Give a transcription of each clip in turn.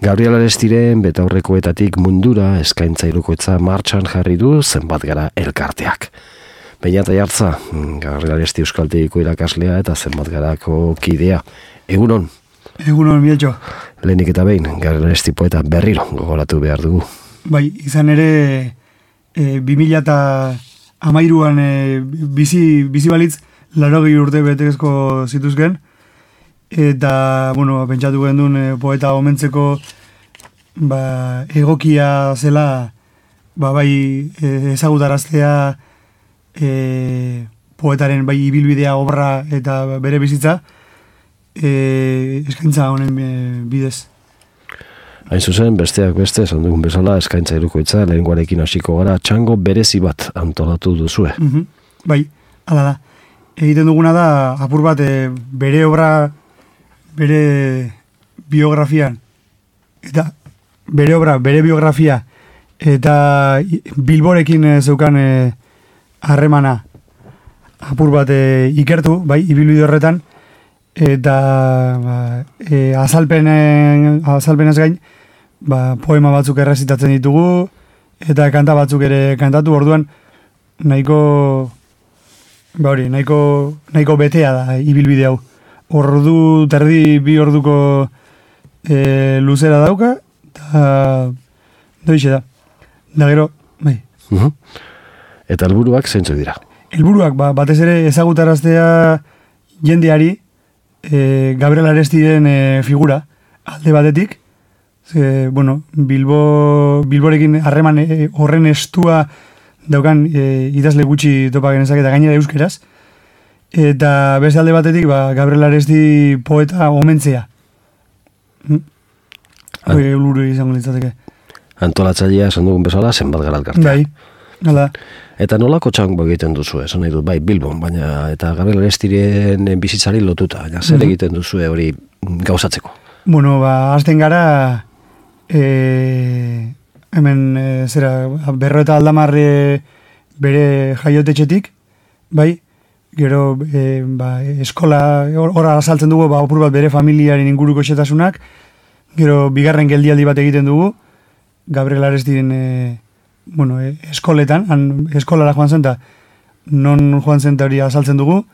Gabriel Arestiren betaurrekoetatik mundura eskaintza hirukoitza martxan jarri du zenbat gara elkarteak. Beñat Aiartza, Gabriel Aresti euskaltegiko irakaslea eta zenbat garako kidea. Egunon? Egunon, Bieltxo. Lehenik eta behin, Gabriel Aresti poeta berriro gogoratu behar dugu. Bai, izan ere 2013an bizi balitz 80 urte betegezko zituzken, eta, bueno, pentsatu gendun poeta omentzeko egokia zela bai ezagutaraztea poetaren bai ibilbidea, obra eta bere bizitza eskaintza honen bidez. Hain zuzen, besteak beste, esan dugun bezala, eskaintza hirukoitza, lehenguarekin hasiko gara, txango berezi bat antolatu duzue. Bai, hala da. Egiten duguna da, apur bat, bere obra, bere biografian, eta bere obra, bere biografia, eta Bilborekin zeukan harremana apur bat ikertu, bai, ibilbide horretan, eta azalpenez gain, poema batzuk errezitatzen ditugu, eta kanta batzuk ere kantatu, orduan nahiko betea da ibilbide hau. Ordu terdi 2 orduko luzera dauka, eta doixe da. Da gero, bai. Eta helburuak zeintzuk dira? Helburuak, batez ere ezagutaraztea jendeari Gabriel Arestiren figura, alde batetik, Bilborekin harreman horren estua daukan idazle gutxi topa genezak eta gainera euskeraz, eta beste alde batetik Gabriel Aresti poeta omentzea. Helburu izango litzateke. Antolatzailea esan dugun bezala zenbat gara elkartea. Bai, hala. Eta nolako txango egiten duzu, esan nahi dut, bai, Bilbon, baina eta Gabriel Arestiren bizitzari lotuta, zer egiten duzu hori gauzatzeko? Bueno, hasten gara, hemen, Berro eta Aldamar bere jaiotetxetik, bai, gero, eskola, horra azaltzen dugu, opur bat bere familiaren inguruko xetasunak, gero, bigarren geldialdi bat egiten dugu, Gabriel Arestiren eskoletan, eskolara joan zen, non joan zen hori azaltzen dugu.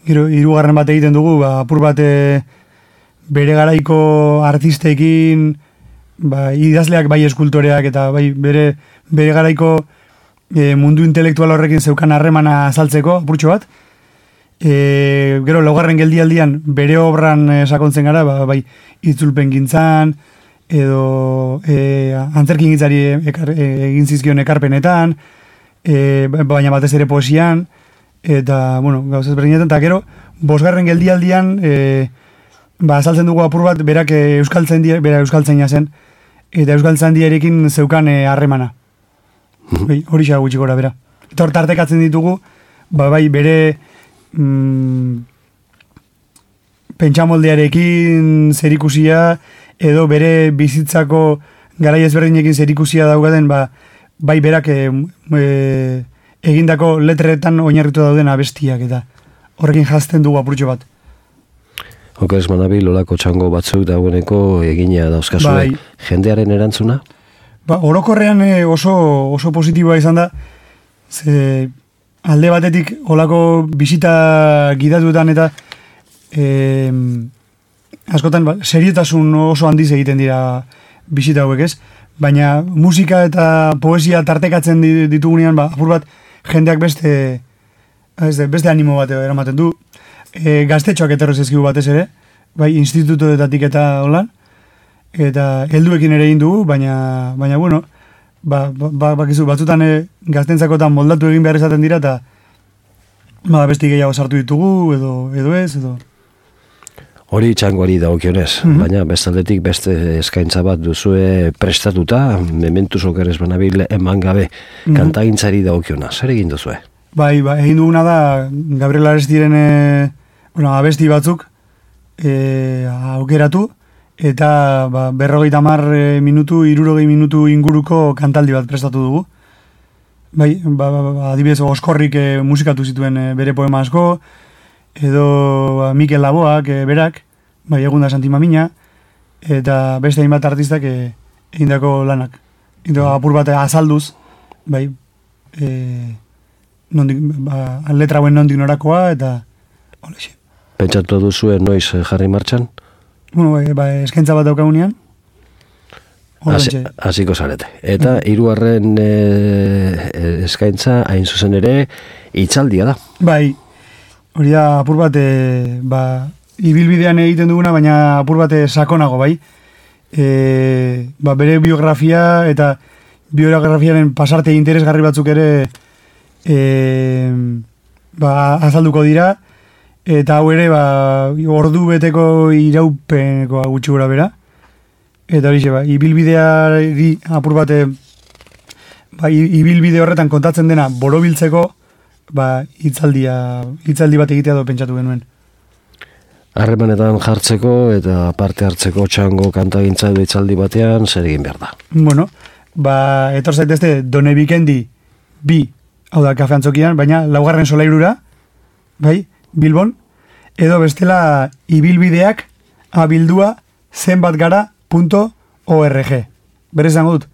Gero, 3. bat egiten dugu, apur bat bere garaiko artistekin, idazleak bai eskultoreak, eta bai bere garaiko mundu intelektual horrekin zeukan harremana azaltzeko, apurtxo bat. Gero, 4. geldialdian bere obran sakontzen gara, bai itzulpen gintzan, edo antzerkin gitzari egin zizkion ekarpenetan, baina batez ere poesian, eta, gauzaz berdinetan, eta gero, 5. geldialdian, azaltzen dugu apur bat, berak euskaltzaina zen, eta euskaltzaindiarekin zeukan harremana. Hori xa gutxi gora, bera. Eta hor tartekatzen ditugu, bai, bere pentsamoldearekin zerikusia, edo bere bizitzako garai ezberdinekin zerikusia daugaten, bai berak egindako letretan oinarritu dauden abestiak, eta horrekin jazten dugu apurtxo bat. Okeres Manabil, olako txango batzuk dagoeneko egina dauzkazue, jendearen erantzuna? Orokorrean oso positiboa izan da, alde batetik olako bisita gidatuetan eta askotan, seriotasun oso handiz egiten dira bisita hauek, ez? Baina musika eta poesia tartekatzen ditugunean, apur bat jendeak beste animo bat eramaten du. Gaztetxoak etorrez ezkigu batez ere, bai, institutoetatik eta holan, eta helduekin ere egin dugu, baina bakizu, batzutan gaztentzakotan moldatu egin behar izaten dira, eta besti gehiago sartu ditugu, edo ez, edo... Hori txangoari dagokionez, baina bestaldetik beste eskaintza bat duzue prestatuta, Mementus Okeres Manabil eman gabe, kantagintzari dagokiona, zer egin duzue? Bai, egin duguna da, Gabriel Arestiren abesti batzuk aukeratu, eta 50 minutu, 60 minutu inguruko kantaldi bat prestatu dugu. Bai, adibidez, Oskorrik musikatu zituen bere poema asko, edo Mikel Laboak berak, bai, Egunda Santimamina, eta beste hainbat artistak egindako lanak. Eta apur bat azalduz, bai, letra hauen nondik norakoa, eta holexe. Pentsatu duzuen noiz jarri martxan? Bueno, eskaintza bat daukagunean. Hasiko zarete. Eta hirugarren eskaintza hain zuzen ere hitzaldia da. Bai, hori da apur bat ibilbidean egiten duguna, baina apur bat sakonago, bai. Bere biografia eta biografiaren pasarte interesgarri batzuk ere azalduko dira, eta hau ere ordu beteko iraupeneko gutxi gora bera. Eta hori ibilbideari apur bat ibilbide horretan kontatzen dena borobiltzeko hitzaldi bat egitea do pentsatu genuen. Harremanetan jartzeko eta parte hartzeko txango kantagintza edo hitzaldi batean zer egin behar da? Bueno, etor zaitezte Done Bikendi 2, hau da kafe antzokian, baina 4. solairura, bai, Bilbon, edo bestela ibilbideak abildua zenbatgara.org. Berez zango dut,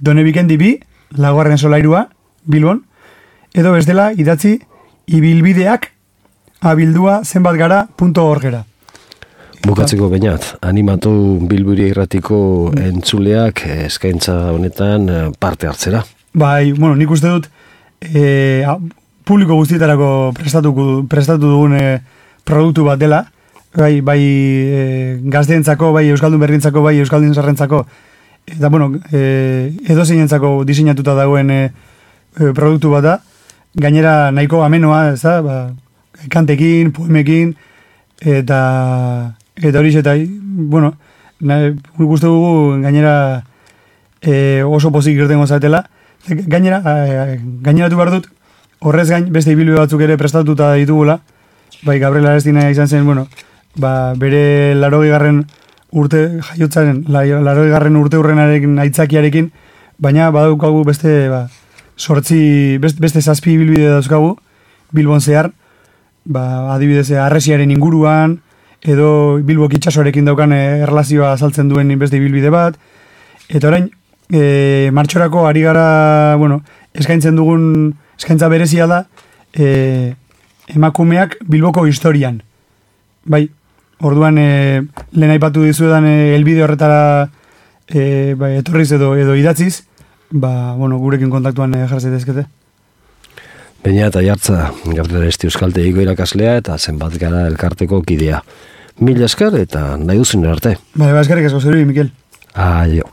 Done Bikendi 2, 4. solairua, Bilbon, edo bestela idatzi ibilbideak abildua zenbatgara.orgera. Bukatzeko bainat, animatu Bilburi Irratiko entzuleak eskaintza honetan parte hartzera. Bai, bueno, nik uste dut publiko guztietarako prestatu dugun produktu bat dela, bai gazteentzako, bai euskaldun berrientzako, bai euskaldun zarrentzako, eta bueno, edozeinentzako diseinatuta dagoen produktu bat da, gainera nahiko amenoa, ez da, kantekin, poemekin, eta hori eta, bueno, guztu dugu gainera oso pozik irtengo zatela. Gaineratu behar dut, horrez gain, beste ibilbide batzuk ere prestatuta ditugula, bai Gabriel Arestina izan zen, bueno, bere 80. urte jaiotzaren, 80. urte urrenarekin aitzakiarekin, baina badaukagu beste 8, beste 7 ibilbide dauzkagu, Bilbon zehar, adibidez, Arresiaren inguruan, edo Bilbok itxasoarekin daukan erlazioa azaltzen duen beste ibilbide bat, eta orain, martxorako ari gara, bueno, eskaintza berezia da, emakumeak Bilboko historian. Bai, orduan, lehen aipatu dizuedan helbide horretara etorriz edo idatziz, bueno, gurekin kontaktuan jarrazaitezkete. Baina eta jartza, Gabriel Aresti Euskaltegiko irakaslea eta Zenbatgara elkarteko kidea. Mila esker eta nahi duzun arte. Eskerrik asko zerui, Mikel. Aio.